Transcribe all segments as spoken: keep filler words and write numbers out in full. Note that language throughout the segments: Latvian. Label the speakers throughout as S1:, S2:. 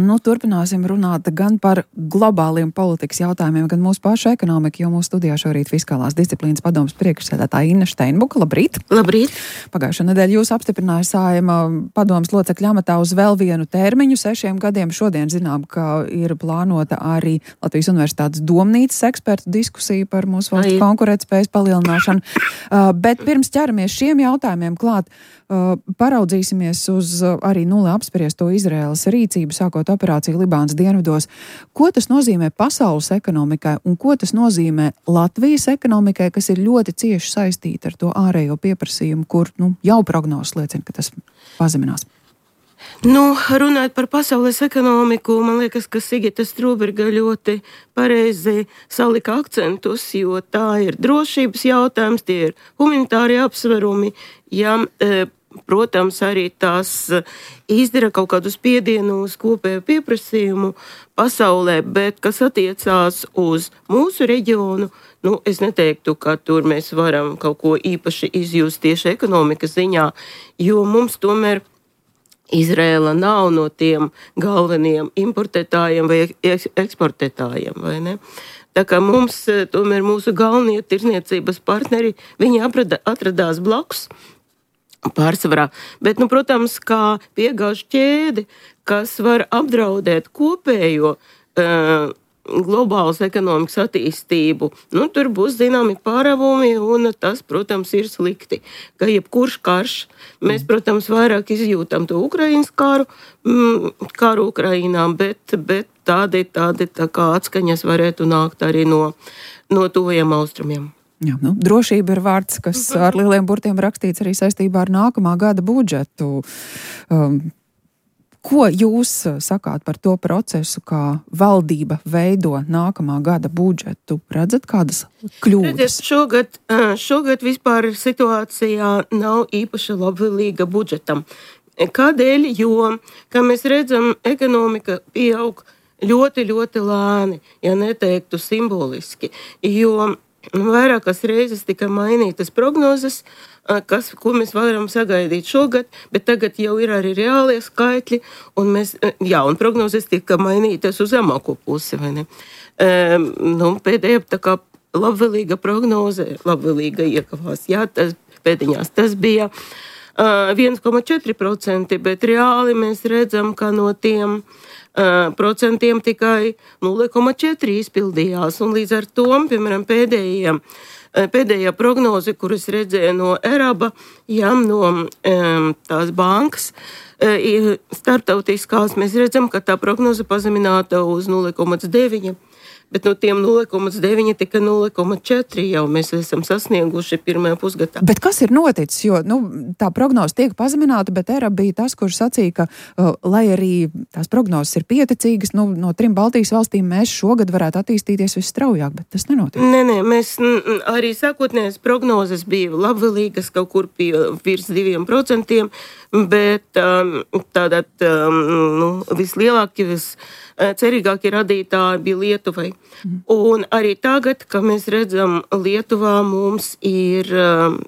S1: Nu, turpināsim runāt gan par globāliem politikas jautājumiem, gan mūsu pašu ekonomiku, jo mūsu studijā šorīt Fiskālās disciplīnas padomes priekšsēdētāja Inna Steinbuka. Labrīt!
S2: Labrīt!
S1: Pagājušo nedēļu jūs apstiprināja Saeima padomes locekļa amatā uz vēl vienu termiņu, sešiem gadiem. Šodien zinām, ka ir plānota arī Latvijas Universitātes domnīcas ekspertu diskusija par mūsu valsts konkurētspējas palielināšanu. Uh, bet pirms ķeramies šiem jautājumiem klāt, uh, paraudzīsimies uz uh, arī nulli apspriesto Izraēlas rīcību, sākot operāciju Libānas dienvidos. Ko tas nozīmē pasaules ekonomikai un ko tas nozīmē Latvijas ekonomikai, kas ir ļoti cieši saistīta ar to ārējo pieprasījumu, kur nu, jau prognozes liecina, ka tas pazeminās?
S2: Nu, runājot par pasaules ekonomiku, man liekas, ka Sigita Strūberga ļoti pareizi salika akcentus, jo tā ir drošības jautājums, tie ir humanitārie apsverumi, ja, protams, arī tās izdara kaut kādu spiedienu uz kopēju pieprasījumu pasaulē, bet kas attiecās uz mūsu reģionu, nu, es neteiktu, ka tur mēs varam kaut ko īpaši izjust tieši ekonomikas ziņā, jo mums tomēr Izraela nav no tiem galvenajiem importētājiem vai eksportētājiem, vai ne? Tā kā mums, tomēr mūsu galvenie tirzniecības partneri, viņi atrada, atradās blakus pārsvarā. Bet, nu, protams, kā piegāžu ķēde, kas var apdraudēt kopējo uh, globālas ekonomikas attīstību, nu, tur būs zināmi pārāvumi, un tas, protams, ir slikti. Ka jebkurš karš, mēs, protams, vairāk izjūtam to Ukrainas karu, mm, karu Ukrainā, bet, bet tādi, tādi tā kā atskaņas varētu nākt arī no, no tuvajiem austrumiem.
S1: Jā, nu, drošība ir vārds, kas ar lieliem burtiem rakstīts arī saistībā ar nākamā gada budžetu. Um, Ko jūs sakāt par to procesu, kā valdība veido nākamā gada budžetu? Redzat kādas kļūdas?
S2: Redziet, šogad, šogad vispār situācijā nav īpaši labvēlīga budžetam. Kādēļ? Jo, kā mēs redzam, ekonomika pieaug ļoti, ļoti lēni, ja neteiktu simboliski, jo vairākas reizes tika mainītas prognozes, kas, ko mēs varam sagaidīt šogad, bet tagad jau ir arī reālie skaitļi, un, mēs, jā, un prognozes tika mainītas uz zemāko pusi, vai ne? Um, nu, pēdējā tā kā labvēlīga prognoze, labvēlīga iekavās, jā, tas pēdiņās, tas bija uh, viens komats četri procenti, bet reāli mēs redzam, ka no tiem uh, procentiem tikai nulle komats četri izpildījās, un līdz ar to, piemēram, pēdējiem Pēdējā prognoze, kuras redzēja no Eraba, jā, no um, tās bankas, uh, starptautiskās, mēs redzam, ka tā prognoze pazemināta uz nulle komats deviņi, bet no tiem nulle komats deviņi tika nulle komats četri jau mēs esam sasnieguši pirmajā pusgadā.
S1: Bet kas ir noticis? Jo nu, tā prognoze tiek pazemināta, bet Eraba bija tas, kurš sacīja, ka, uh, lai arī tās prognozes ir pieticīgas, nu, no trim Baltijas valstīm mēs šogad varētu attīstīties visstraujāk, bet tas nenotiek.
S2: Nē, nē, mēs n, arī sākotnējās prognozes bija labvēlīgas kaut kur pie virs diviem procentiem, bet um, tātad um, nu, vislielākie, viscerīgākie radītāji bija Lietuvai. Mm. Un arī tagad, kad mēs redzam Lietuvā, mums ir, um,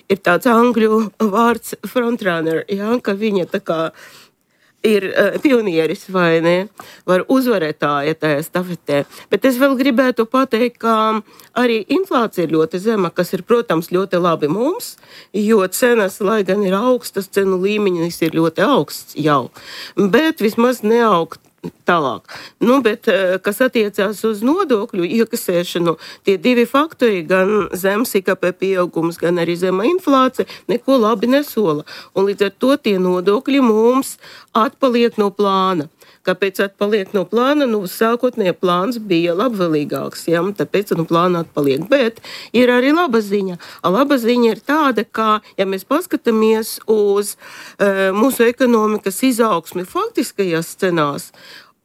S2: ir tāds angļu vārds frontrunner, jā, ka viņa tā kā ir uh, pionieris vai ne, var uzvarētāja tajā stafetē. Bet es vēl gribētu pateikt, ka arī inflācija ir ļoti zema, kas ir, protams, ļoti labi mums, jo cenas, lai gan ir augstas, cenu līmenis ir ļoti augsts jau, bet vismaz neaugt tālāk. Nu, bet, kas attiecās uz nodokļu iekasēšanu, tie divi faktori, gan zems I K P pieaugums, gan arī zema inflācija, neko labi nesola. Un līdz ar to tie nodokļi mums atpaliek no plāna. Kāpēc atpaliek no plāna? Nu, sākotnējā plāns bija labvēlīgāks, ja? Tāpēc nu, plāna atpaliek. Bet ir arī laba ziņa. Laba ziņa ir tāda, ka, ja mēs paskatāmies uz uh, mūsu ekonomikas izaugsmi faktiskajās cenās,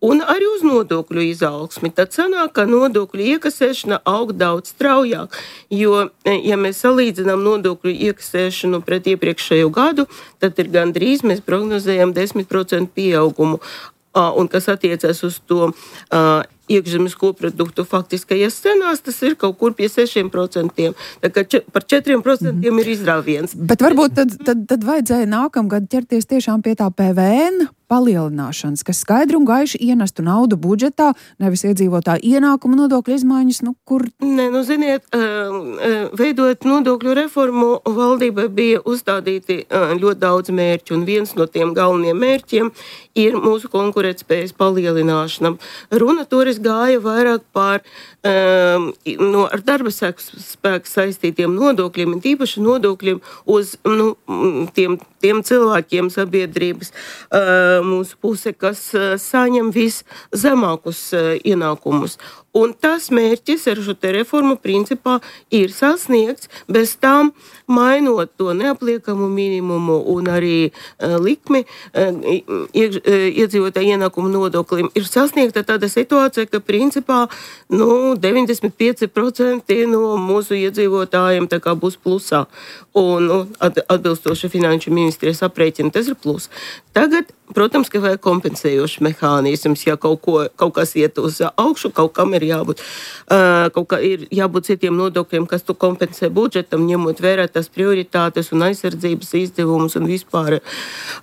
S2: un arī uz nodokļu izaugsmi, tad sanāk, ka nodokļu iekasēšana aug daudz straujāk, jo, ja mēs salīdzinām nodokļu iekasēšanu pret iepriekšējo gadu, tad ir gandrīz mēs prognozējam desmit procentu pieaugumu. Un kas attiecas uz to uh, iekšzemes koproduktu faktiskajās cenās, tas ir kaut kur pie sešiem procentiem. Tā kā č- par četriem procentiem mm-hmm. ir izrāviens.
S1: Bet varbūt tad, tad, tad vajadzēja nākamgad ķerties tiešām pie tā P V N palielināšanas, kas skaidri un gaiši ienestu naudu budžetā, nevis iedzīvotāju ienākumu nodokļu izmaiņas, nu kur?
S2: Nē, nu ziniet, veidot nodokļu reformu, valdībai bija uzstādīti ļoti daudz mērķu, un viens no tiem galvenajiem mērķiem ir mūsu konkurētspējas palielināšana. Runa toreiz gāja vairāk par um, no, ar darba spēku saistītiem nodokļiem, un tīpaši nodokļiem uz nu, tiem, tiem cilvēkiem sabiedrības uh, mūsu puse, kas uh, saņem viszemākus uh, ienākumus. Un tas mērķis ar šo te reformu principā ir sasniegts, bez tam mainot to neapliekamu minimumu un arī uh, likmi uh, iekš, uh, iedzīvotāju ienākumu nodoklim. Ir sasniegta tāda situācija, ka principā nu, deviņdesmit pieci procenti no mūsu iedzīvotājiem tā kā būs plusā. Un nu, atbilstoši finanšu ministrijas aprēķina, tas ir plus. Tagad, protams, ka vajag kompensējošs mehānisms, ja kaut, ko, kaut kas iet uz augšu, kaut kam ir jābūt, uh, kaut kā ir jābūt citiem nodokļiem, kas tu kompensē budžetam, ņemot vērā tās prioritātes un aizsardzības izdevumus un vispār.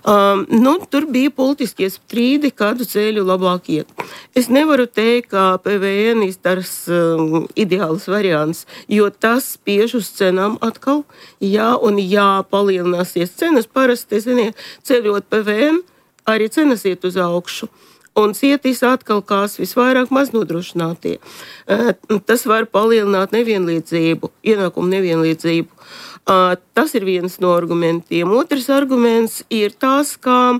S2: Um, nu, tur bija politiskie strīdi, kādu ceļu labāk iet. Es nevaru teikt, ka P V N ir tas um, ideāls variants, jo tas spiež uz cenām atkal, jā, un jā, palielināsies cenas, parasti, ziniet, ceļot P V N, arī cenas iet uz augšu. Un cietīs atkal kās visvairāk maznodrošinātie. Tas var palielināt nevienlīdzību, ienākumu nevienlīdzību. Tas ir viens no argumentiem. Otrs arguments ir tas, ka,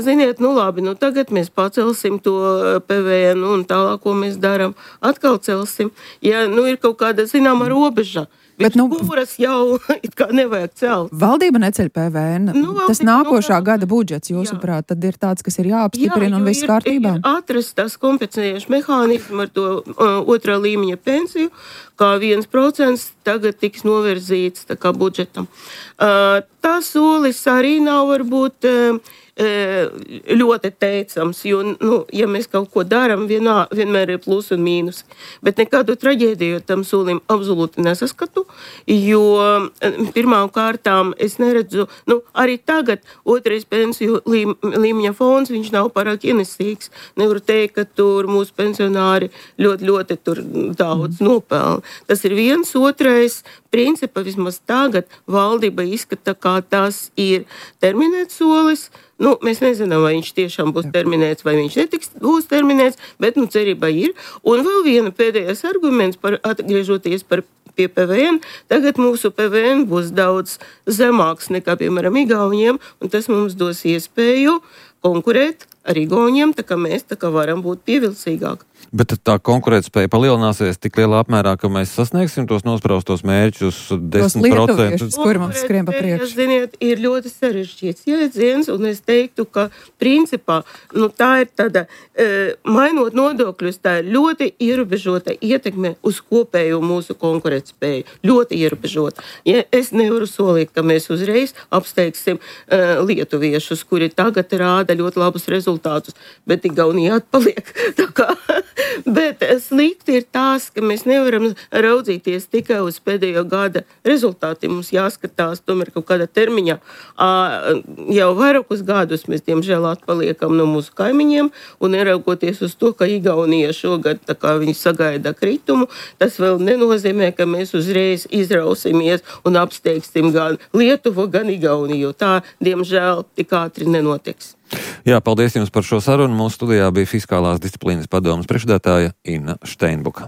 S2: ziniet, nu labi, nu tagad mēs pacelsim to P V N un tālāk, ko mēs darām, atkal celsim. Ja nu ir kaut kāda zināma robeža, bet, nu, kuras jau it kā nevajag celt.
S1: Valdība neceļ P V N. Nu, tas nākošā nu, gada budžets, jūsuprāt, tad ir tāds, kas ir jāapstiprina un viss kārtībā?
S2: Ir atrast tas kompensējuši mehānismu ar to uh, otrā līmeņa pensiju, kā viens procents tagad tiks novirzīts tā kā budžetam. Uh, tas solis arī nav varbūt uh, ļoti teicams, jo, nu, ja mēs kaut ko darām, vienā, vienmēr ir plus un mīnus. Bet nekādu traģēdiju tam solim absolūti nesaskatu, jo pirmām kārtām es neredzu, nu, arī tagad otrais pensiju līm, līmeņa fonds, viņš nav pārāk ienesīgs. Nevaru teikt, ka tur mūsu pensionāri ļoti, ļoti tur daudz nopelna. Tas ir viens, otrais, principā vismaz tagad valdība izskata, kā tas ir terminēts solis. Nu, mēs nezinām, vai viņš tiešām būs terminēts, vai viņš netiks būs terminēts, bet, nu, cerībā ir. Un vēl viena pēdējais arguments, par, atgriežoties par pie P V N, tagad mūsu P V N būs daudz zemāks nekā, piemēram, Igauniem, un tas mums dos iespēju konkurēt ar Igauniem, tā kā mēs tā kā varam būt pievilcīgāk.
S3: Bet tā konkurētspēja palielināsies tik lielā apmērā, ka mēs sasniegsim tos nospraustos mērķus desmit procenti.
S1: Kur mums skrien pa priekšu?
S2: Ziniet, ir ļoti sarežģīts jēdziens, un es teiktu, ka principā, nu tā ir tāda, e, mainot nodokļus, tā ir ļoti ierobežota ietekme uz kopējo mūsu konkurētspēju. Ļoti ierobežota. Ja es nevaru solīt, ka mēs uzreiz apsteigsim e, lietuviešus, kuri tagad rāda ļoti labus rezultātus, bet Igaunija atpaliek. Tā kā Bet slikti ir tās, ka mēs nevaram raudzīties tikai uz pēdējo gada rezultātiem. Mums jāskatās tomēr kaut kādā termiņā. Jau vairākus gadus mēs, diemžēl, atpaliekam no mūsu kaimiņiem un neraugoties uz to, ka Igaunija šogad tā kā viņi sagaida kritumu, tas vēl nenozīmē, ka mēs uzreiz izrausimies un apsteigsim gan Lietuvu, gan Igauniju. Tā, diemžēl, tik ātri nenotiks.
S3: Jā, paldies jums par šo sarunu. Mūsu studijā bija Fiskālās disciplīnas padomes priekšsēdētāja Inna Steinbuka.